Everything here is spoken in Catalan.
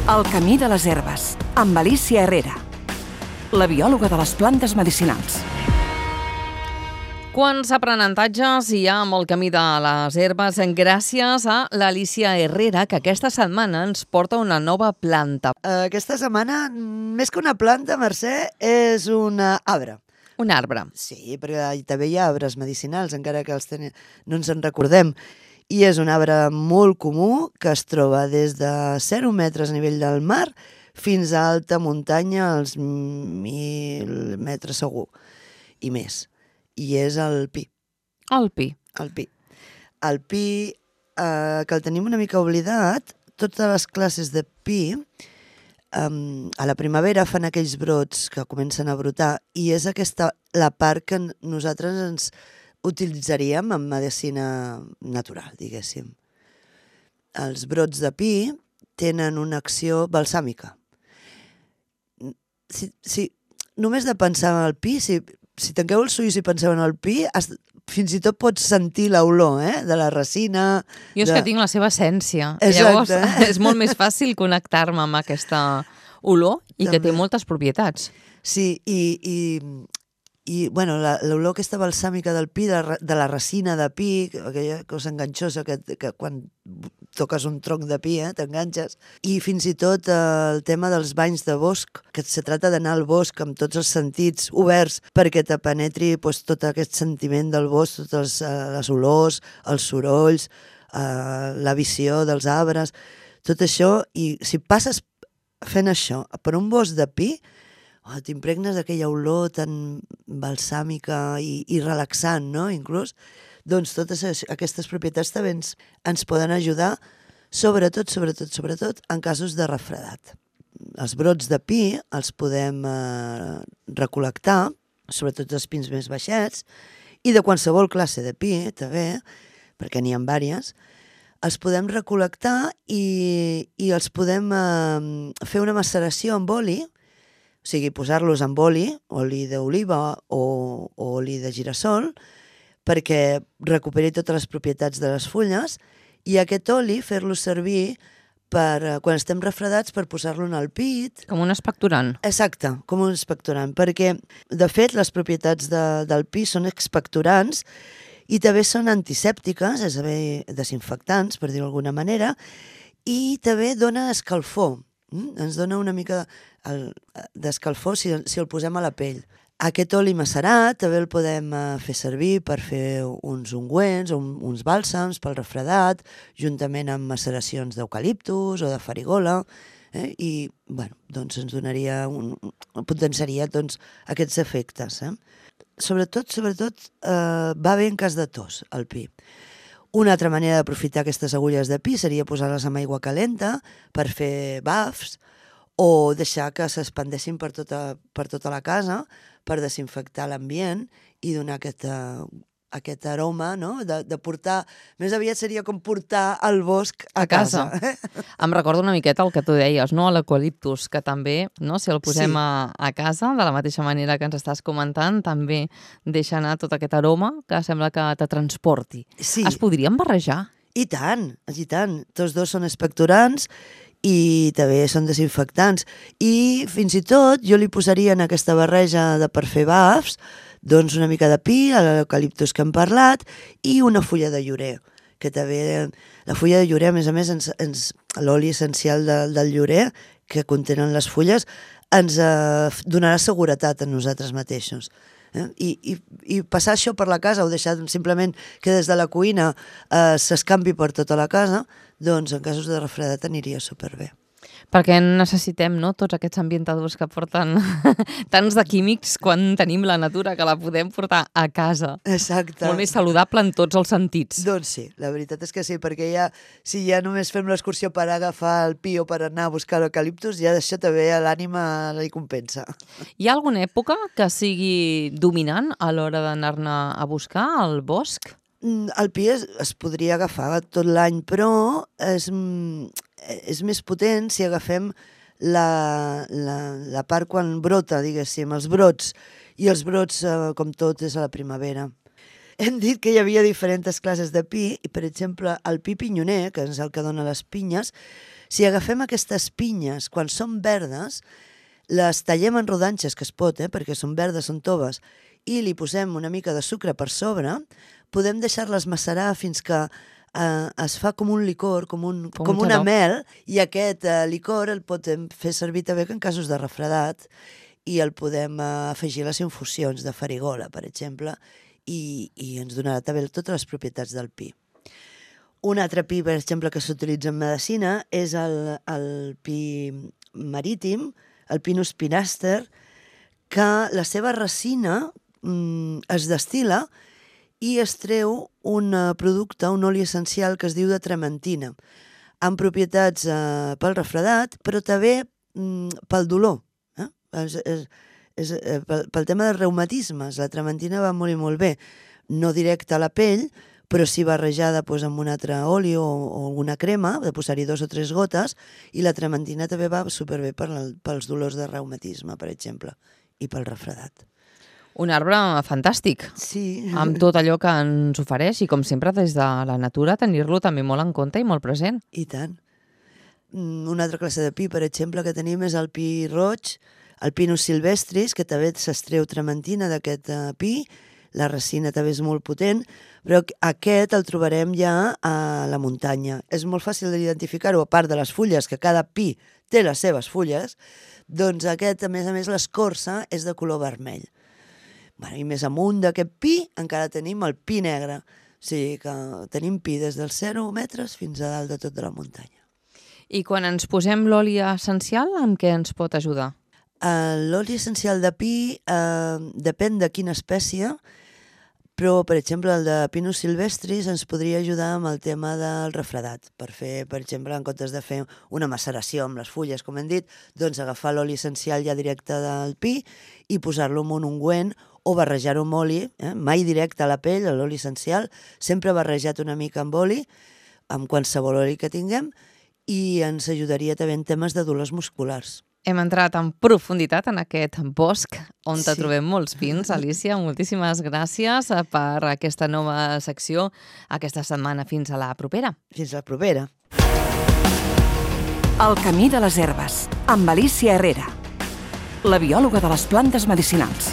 El camí de les herbes, amb Alicia Herrera, la biòloga de les plantes medicinals. Quants aprenentatges hi ha amb el camí de les herbes gràcies a l'Alicia Herrera, que aquesta setmana ens porta una nova planta. Aquesta setmana, més que una planta, Mercè, és un arbre. Un arbre. Sí, perquè també hi ha arbres medicinals, encara que no ens en recordem. I és un arbre molt comú que es troba des de 0 metres a nivell del mar fins a alta muntanya, als 1.000 metres segur, i més. I és el pi. El pi. El pi. El pi, que el tenim una mica oblidat, totes les classes de pi, a la primavera fan aquells brots que comencen a brotar i és aquesta la part que nosaltres ens utilitzaríem en medicina natural, diguéssim. Els brots de pi tenen una acció balsàmica. Si només de pensar en el pi, si tanqueu els ulls i penseu en el pi, fins i tot pots sentir l'olor de la resina. Jo és que tinc la seva essència. Exacte. Llavors és molt més fàcil connectar-me amb aquesta olor i que té moltes propietats. Sí, i bueno, l'olor aquesta balsàmica del pi, de la resina de pi, aquella cosa enganxosa que quan toques un tronc de pi t'enganxes, i fins i tot el tema dels banys de bosc, que se trata d'anar al bosc amb tots els sentits oberts perquè te penetri tot aquest sentiment del bosc, totes les olors, els sorolls, la visió dels arbres, tot això, i si passes fent això per un bosc de pi, t'impregnes d'aquella olor tan balsàmica i relaxant, no?, inclús, doncs totes aquestes propietats també ens poden ajudar, sobretot en casos de refredat. Els brots de pi els podem recol·lectar, sobretot els pins més baixets, i de qualsevol classe de pi, també, perquè n'hi ha diverses, els podem recol·lectar i els podem fer una maceració amb oli, o sigui, posar-los amb oli d'oliva o oli de girassol, perquè recuperi totes les propietats de les fulles, i aquest oli fer-lo servir quan estem refredats per posar-lo en el pit. Com un expectorant. Exacte, com un expectorant, perquè, de fet, les propietats del pi són expectorants i també són antisèptiques, és a dir, desinfectants, per dir-ho d'alguna manera, i també dona escalfor. Ens dona una mica d'escalfor si el posem a la pell. Aquest oli macerat també el podem fer servir per fer uns ungüents o uns bàlsams pel refredat, juntament amb maceracions d'eucaliptus o de farigola, i doncs ens donaria, potenciaria aquests efectes. Sobretot va bé en cas de tos, el pi. Una altra manera d'aprofitar aquestes agulles de pi seria posar-les amb aigua calenta per fer bafs o deixar que s'expandeixin per tota la casa per desinfectar l'ambient i donar aquest aroma, no?, de portar... Més aviat seria com portar el bosc a casa. Em recorda una miqueta el que tu deies, no?, l'eucaliptus, que també, no?, si el posem a casa, de la mateixa manera que ens estàs comentant, també deixa anar tot aquest aroma que sembla que te transporti. Sí. Es podrien barrejar? I tant. Tots dos són expectorants i també són desinfectants. I fins i tot jo li posaria en aquesta barreja per fer bafs doncs una mica de pi, l'eucaliptus que hem parlat, i una fulla de llorer, que també la fulla de llorer, a més, l'oli essencial del llorer que contenen les fulles, ens donarà seguretat a nosaltres mateixos. I passar això per la casa o deixar simplement que des de la cuina s'escampi per tota la casa, doncs en casos de refredat aniria superbé. Perquè necessitem, no?, tots aquests ambientadors que porten tants de químics quan tenim la natura que la podem portar a casa. Exacte. Molt més saludable en tots els sentits. Doncs sí, la veritat és que sí, perquè si ja només fem l'excursió per agafar el pi o per anar a buscar l'eucaliptus, ja això també a l'ànima li compensa. Hi ha alguna època que sigui dominant a l'hora d'anar-ne a buscar al bosc? El pi es podria agafar tot l'any, però és més potent si agafem la part quan brota, diguéssim, els brots. I els brots, com tot, és a la primavera. Hem dit que hi havia diferents classes de pi, i per exemple el pi pinyoner, que és el que dona les pinyes, Si agafem aquestes pinyes, quan són verdes, les tallem en rodanxes, que es pot, perquè són verdes, són toves, i li posem una mica de sucre per sobre, podem deixar-les macerar fins que es fa com un licor, com una mel, i aquest licor el podem fer servir també en casos de refredat i el podem afegir a les infusions de farigola, per exemple, i ens donarà també totes les propietats del pi. Un altre pi, per exemple, que s'utilitza en medicina és el pi marítim, el Pinus pinaster, que la seva resina es destil·la i es treu un producte, un oli essencial que es diu de trementina, amb propietats pel refredat, però també pel dolor. Pel tema dels reumatismes, la trementina va molt bé, no directa a la pell, però sí barrejada amb un altre oli o alguna crema, de posar-hi 2 o 3 gotes, i la trementina també va superbé pels dolors de reumatisme, per exemple, i pel refredat. Un arbre fantàstic, sí, amb tot allò que ens ofereix, i com sempre des de la natura tenir-lo també molt en compte i molt present. I tant. Una altra classe de pi, per exemple, que tenim és el pi roig, el Pinus silvestris, que també s'estreu trementina d'aquest pi, la resina també és molt potent, però aquest el trobarem ja a la muntanya. És molt fàcil d'identificar-ho, a part de les fulles, que cada pi té les seves fulles, doncs aquest, a més, l'escorça és de color vermell. I més amunt d'aquest pi encara tenim el pi negre, o sigui que tenim pi des dels 0 metres fins a dalt de tot de la muntanya. I quan ens posem l'oli essencial, amb què ens pot ajudar? L'oli essencial de pi depèn de quina espècie, però, per exemple, el de Pinus silvestris ens podria ajudar amb el tema del refredat. Per fer, per exemple, en comptes de fer una maceració amb les fulles, com hem dit, doncs agafar l'oli essencial ja directe del pi i posar-lo en un ungüent o barrejar-ho amb oli, mai directe a la pell, l'oli essencial, sempre barrejat una mica amb oli, amb qualsevol oli que tinguem, i ens ajudaria també en temes de dolors musculars. Hem entrat en profunditat en aquest bosc on te trobem molts pins. Alicia, moltíssimes gràcies per aquesta nova secció aquesta setmana. Fins a la propera. Fins a la propera. El camí de les herbes, amb Alicia Herrera, la biòloga de les plantes medicinals.